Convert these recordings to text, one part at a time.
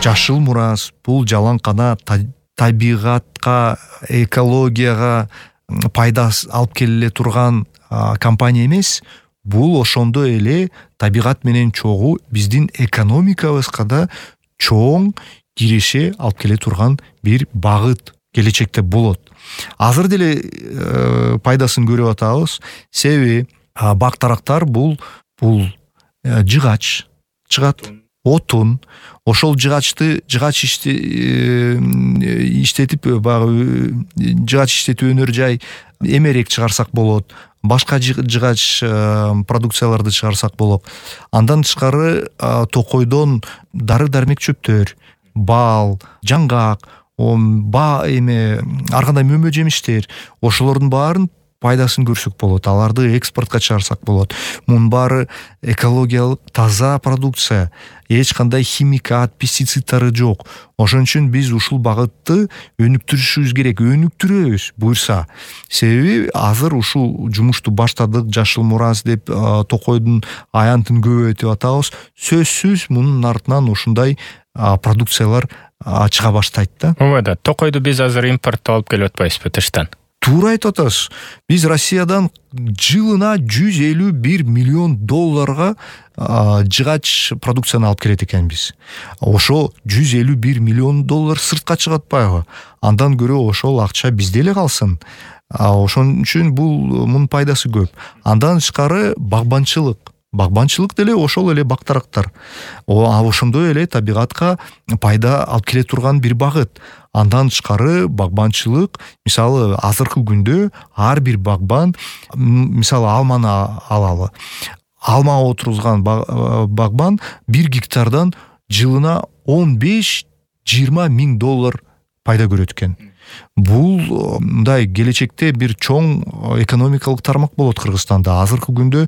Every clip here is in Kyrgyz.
Жашыл мурас бул жалаң гана табигатка, экологияга пайда алып келе турган компания эмес, бул ошондой эле табигат менен чогуу биздин экономикабызга да чоң киреше алып келе турган бир багыт келечекте болот. Азыр деле пайдасын көрүп атабыз. Себеби бак-тарактар бул жыгач чыгат, отун. Ошол жыгач иштетип өнөр жай эмерек чыгарсак болот. Башка жыгач продукцияларды чыгарсак болот. Андан тышкары токойдон дары-дармек чөптөр, бал, жаңгак, ар кандай мөмө жемиштер, ошолордун баарын пайдасын көрсөк болот. Аларды экспортко чыгарсак болот. Мунун баары экологиялык таза продукция, эч кандай химикат, пестициддары жок. Ошон үчүн биз ушул багытты өнүктүрүшүбүз керек, өнүктүрөбүз буюрса. Себеби азыр ушул жумушту баштадык, жашыл мурас деп токойдун аянтын көбөйтүп атабыз. Сөзсүз мунун артынан ушундай продукциялар чыга баштайт да. Ооба, токойду биз азыр импорттоп алып келип атпайбызбы тыштан? Туура айтып атасыз. Биз Россиядан жылына $151 миллион жыгач продукцияны алып келет экенбиз. Ошо $151 миллион сыртка чыгат атпайбы? Андан көрө ошол акча бизде эле калсын. Ошон үчүн мунун пайдасы көп. Андан тышкары багбанчылык деле ошол эле бак-тарактар. Ошондой эле табигатка пайда алып келе турган бир багыт. Андан тышкары багбанчылык, мисалы азыркы күндө ар бир багбан, мисалы алманы алалы. Алма отургузган багбан 1 гектардан жылына $15-20 миң пайда көрөт экен. Бул мындай келечекте бир чоң экономикалык тармак болот Кыргызстанда. Азыркы күндө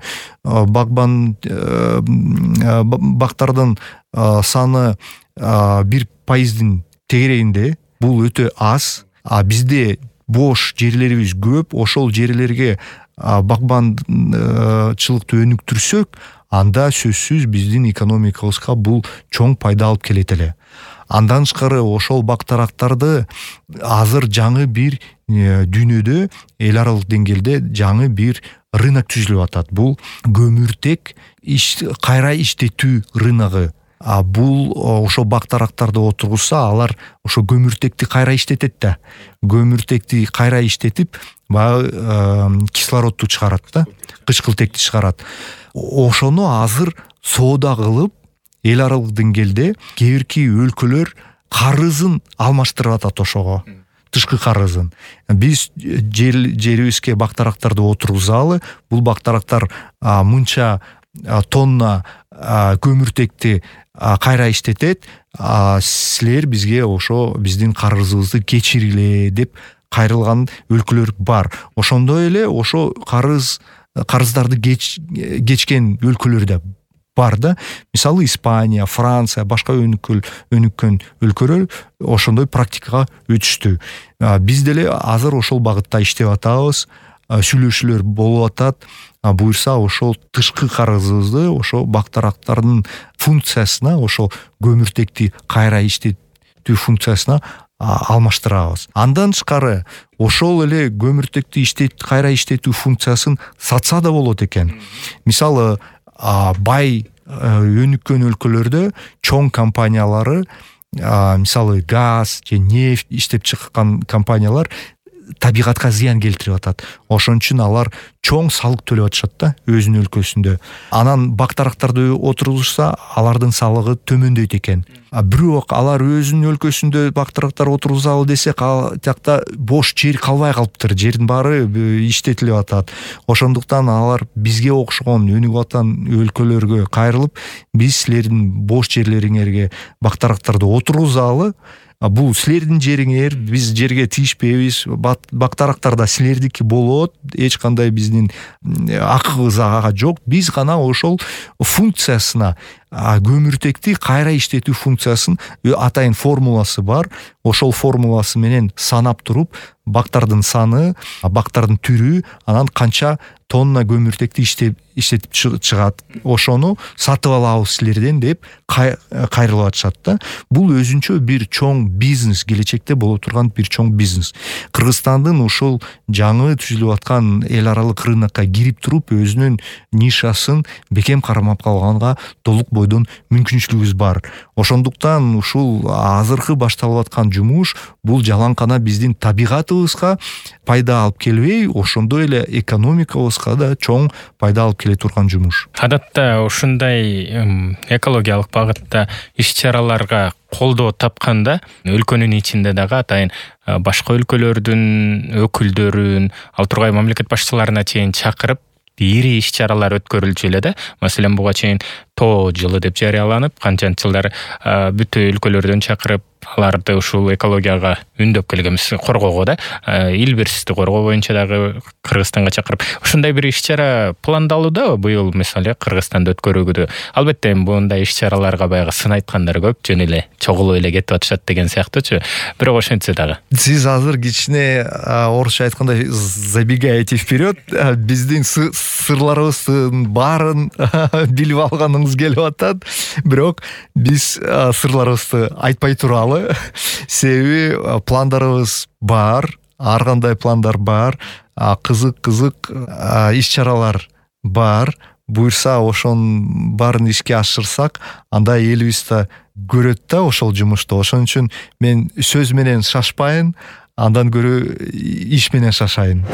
бактардын саны 1% тегерегинде. Бул өтө аз. Бизде бош жерлерибиз көп. Ошол жерлерге багбанчылыкты өнүктүрсөк, анда сөзсүз биздин экономикабызга бул чоң пайда алып келет эле. Андан тышкары ошол бак-тарактарды азыр жаңы бир дүйнөдө, эл аралык деңгээлде жаңы бир рынок түзүлүп атат. Бул көмүртек кайра иштетүү рыногу. Бул ошо бак-тарактарды отургузса, алар ошо көмүртекти кайра иштетет да. Көмүртекти кайра иштетип, кислородду чыгарат да, кычкылтекти чыгарат. Ошону азыр соода кылып, эл аралык деңгээлде кээ өлкөлөр карызын алмаштырып атат ошого. Тышкы карызын. Биз жерибизге бак-тарактарды отургузалы, бул бак-тарактар мынча тонна көмүртекти кайра иштетет, силер бизге ошо биздин карызыбызды кечиргиле деп кайрылган өлкөлөр бар. Ошондой эле ошо карыздарды кечкен өлкөлөр да бар да. Мисалы Испания, Франция, башка өнүккөн өлкөлөр ошондой практикага өтүштү. Биз деле азыр ошол багытта иштеп атабыз. Сүйлөшүүлөр болуп атат. Буюрса ошол тышкы карызыбызды ошо бак-тарактардын функциясына, ошол көмүртекти кайра иштетүү функциясына алмаштырабыз. Андан тышкары ошол эле көмүртекти кайра иштетүү функциясын сатса да болот экен. Мисалы бай өнүккөн өлкөлөрдө чоң компаниялары, мисалы газ же нефть иштеп чыккан компаниялар табигатка зыян келтирип атат. Ошон үчүн алар чоң салык төлөп атышат да өзүнүн өлкөсүндө. Анан бак-тарактарды отургузса, алардын салыгы төмөндөйт экен. Бирок алар өзүнүн өлкөсүндө бак-тарактар отургузалы десе, жакта бош жер калбай калыптыр. Жердин баары иштетилип атат. Ошондуктан алар бизге окшогон өнүгүп аткан өлкөлөргө кайрылып, биз силердин бош жерлериңерге бак-тарактарды отургузалы, бул силердин жериңер, биз жерге тийишпейбиз, бак-тарактар да силердики болот, эч кандай биздин акыбыз ага жок. Биз гана ошол функциясына, көмүртекти кайра иштетүү функциясын атайын формуласы бар. Ошол формуласы менен санап туруп, бактардын саны, бактардын түрү, анан канча тонна көмүртекти иштетип чыгат, ошону сатып алабыз силерден деп кайрылып атышат да. Бул өзүнчө бир чоң бизнес, келечекте боло турган бир чоң бизнес. Кыргызстандын ушул жаңы түзүлүп аткан эл аралык рынокко кирип туруп өзүнүн нишасын бекем кармап калганга толук бойдон мүмкүнчүлүгүбүз бар. Ошондуктан ушул азыркы башталып аткан жумуш бул жалаңкана биздин табигатыбызга пайда алып келбей, ошондой эле экономикабызга да чоң пайда алып келе турган жумуш. Адатта ушундай экологиялык багытта иш-чараларга колдоо тапканда өлкөнүн ичинде дагы атайын башка өлкөлөрдүн өкүлдөрүн, ал тургай мамлекет башчыларына чейин чакырып ири иш-чаралар өткөрүлчү эле да. Маселен, буга чейин тоо жылы деп жарыяланып, канчанчы жылдар бүт өлкөлөрдөн чакырып аларды ушул экологияга үндөп келгенбиз, коргоого да, ил бирсизди коргоо боюнча дагы Кыргызстанга чакырып. Ушундай бир иш-чара пландалуудабы быйыл, мисалы, Кыргызстанда өткөрүүгө? Албетте, мындай иш-чараларга баягы сын айткандар көп, жөн эле чогулуп эле кетип атышат деген сыяктуучу. Бирок ошентсе дагы. Сиз азыр кичине орусча айткандай забегаете вперед, биздин сырларыбыздын баарын билип алганыңыз келип атат. Бирок биз сырларыбызды айтпай туралы. Себеби пландарыбыз бар, ар кандай пландар бар, кызык иш-чаралар бар. Буйрса ошонун баарын ишке ашырсак, анда элибиз да көрөт да ошол жумушту. Ошон үчүн мен сөз менен шашпайын, андан көрө иш менен шашайын.